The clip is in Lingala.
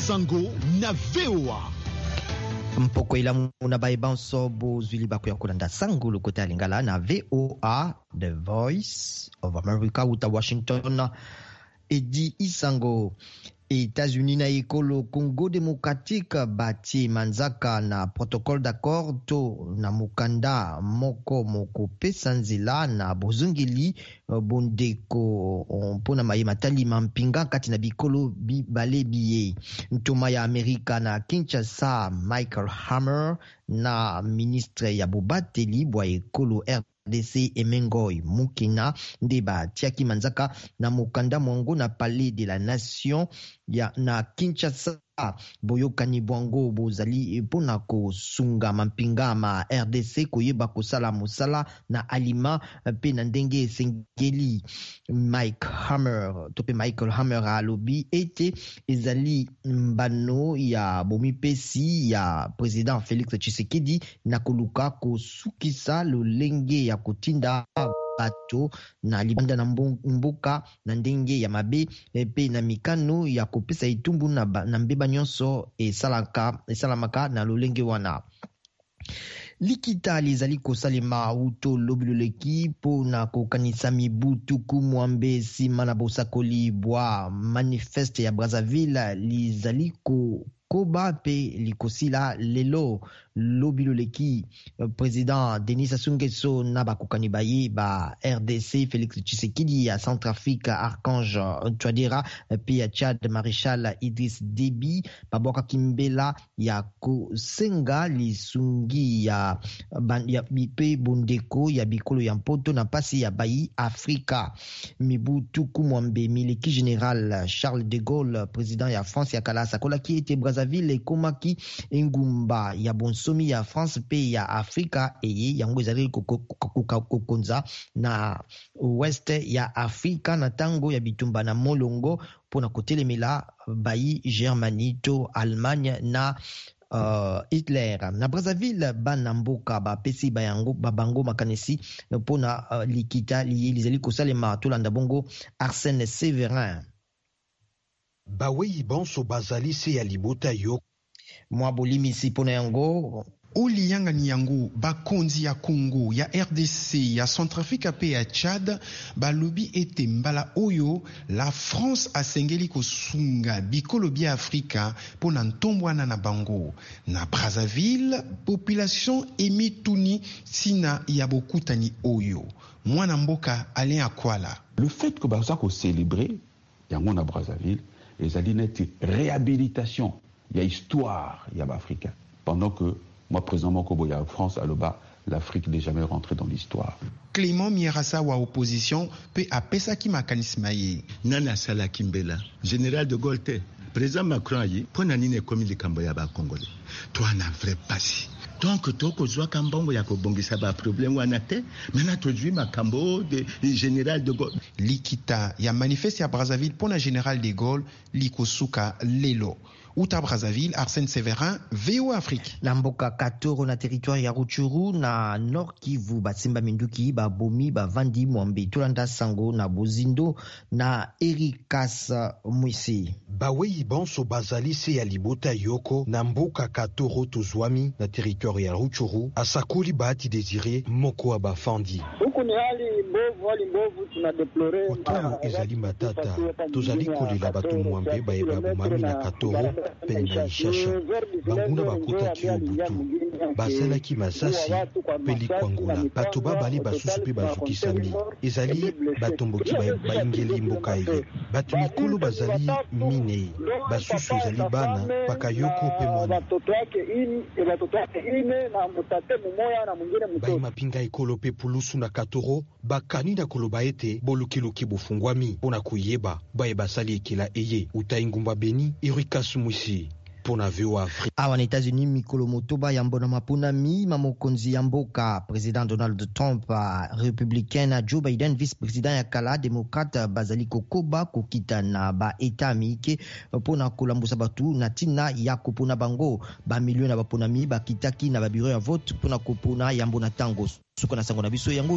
Sango na VOA. Mpoko elamu na baye banso bozwi libaku ya kolanda sango lokota ya lingala na VOA, The Voice of America, uta Washington. Edi Isango. Etats-Unis na ekolo Congo démocratique batie manzaka na protocole d'accord to na mokanda moko mokopesa nzela na bozongeli bondeko mpo na maye matali mampinga kati na bikolo bibale biye. Ntoma ya Amerika na Kinshasa Michael Hammer na ministre ya bobateli bwa ekolo RDC Emengoi Mukina nde batiaki manzaka na mokanda mwango na Palais de la Nation ya na Kinshasa. Boyokani bwango bozali mpona kosunga mampinga ma RDC koyeba kosala mosala na alima mpe na ndenge esengeli. Mike Hammer to mpe Michael Hammer alobi ete ezali mbano ya bomipesi ya president Felix Tshisekedi na koluka kosukisa lolenge ya kotinda bato na libanda na mboka na ndenge ya mabe mpe na mikano ya kopesa etumbu na mbeba nyonso esalamaka na lolenge wana. Likita lizali kosalema uto lobi loleki mpo na kokanisa mibu 80 nsima na bosakoli bwa manifeste ya Brazzaville lizali kokoba mpe likosila lelo. Lobi loleki, president Denis Sassou Nguesso na bakokani baye ba RDC Félix Tshisekedi, ya Centrafrique Archange Touadéra mpe ya Tchad Maréchal Idriss Déby babwakaki mbela ya kosenga lisungi ya mpe bondeko ya bikolo ya mpoto na mpasi ya bayi Afrika. Mibu 80 mileki, général Charles de Gaulle, président ya France ya kala, asakolaki ete Brazzaville ekomaki engumba ya bonsomi ya France mpe ya Afrika, eye yango ezalaki kokonza na ouest ya Afrika na ntango ya bitumba na molongo mpona kotelemela bayi Germanie to Allemagne na Hitler. Na Brazzaville, bana mboka bapesi bayango babango makanisi mpona likita liye lizali kosalema. Tolanda bongo Arsène Severin. Bawei banso bazali se ya libota yo. Mwa bolimisi mpona yango. O liyangani yango, bakonzi ya Congo, ya RDC, ya Centrafrique mpe ya Tchad balobi ete mbala oyo la France asengeli kosunga bikolo bia Afrika mpo na ntombwana na bango. Na Brazzaville, population emituni ntina ya bokutani oyo. Mwana mboka Alain Akwala. Le fait que baza kocélébrer yango na Brazzaville ezali neti réhabilitation ya histoire ya baafricain, pendant que moi, président moko boye ya France aloba: "L'Afrique n'est jamais rentrée dans l'histoire." Clément Mierasa wa opposition mpe apesaki makanisi ma ye. Nani asalaki mbela? Général de Gaulle te? Président Macron aye mpo na nini? Ekomi likambo ya bacongolais toana vrai pasi. Donc tokozwaka mbongo ya kobongisa baproblème wana te. Maintenant tozwi makambo de général de Gaulle. Likita ya manifeste ya Brazzaville mpo na général de Gaulle likosuka lelo. Uta Brazzaville, Arsène Severin, VOA Afrique. Na mboka Katoro, na territoire ya Rutshuru, na Nord Kivu, basimba minduki babomi bavandi 80. Tolanda sango na bozindo na Erikas Mwisi. Bawei banso bazali se ya libota yoko na mboka Katoro tozwami na territoire ya Rutshuru, asakoli Bahati Désiré, moko wa bafandi. Huku ni hali mbovu, hali mbovu, tunadéplorer. Oyo ezali matata, tozali kolela bato 80 baye babomami na Katoro pene na Ishasha. Banguna bakotaki yo butu, basalaki masasi mpe likwangola. Bato babale basusu mpe bazokisami. Ezali batomboki bayingeli mboka eye. Bato mikolo bazali minei, basusu ezali bana bakayoko mpe mwana. Batoto yake ine na mutate mumoya na mwingine mtoto. Bayi ekolo mpe pulusu na Katoro bakani na koloba ete bolukiluki bofungwami mpo na koyeba baye basali ekela eye. Uta engumba Beni, Erikas Mwisi mpo na VOA Afrique. Awa na États-Unis, mikolo 6 yambo na maponami ma mokonzi ya mboka, président Donald Trump, républicain, na Joe Biden, vice président ya kala, démocrate, bazali kokoba kokita na baeta mike mpona kolambusa bato na ntina ya kopona bango. Bamilio na baponami bakitaki na babiro ya vote mpona kopona yambo na ntango suka na sango na biso yango.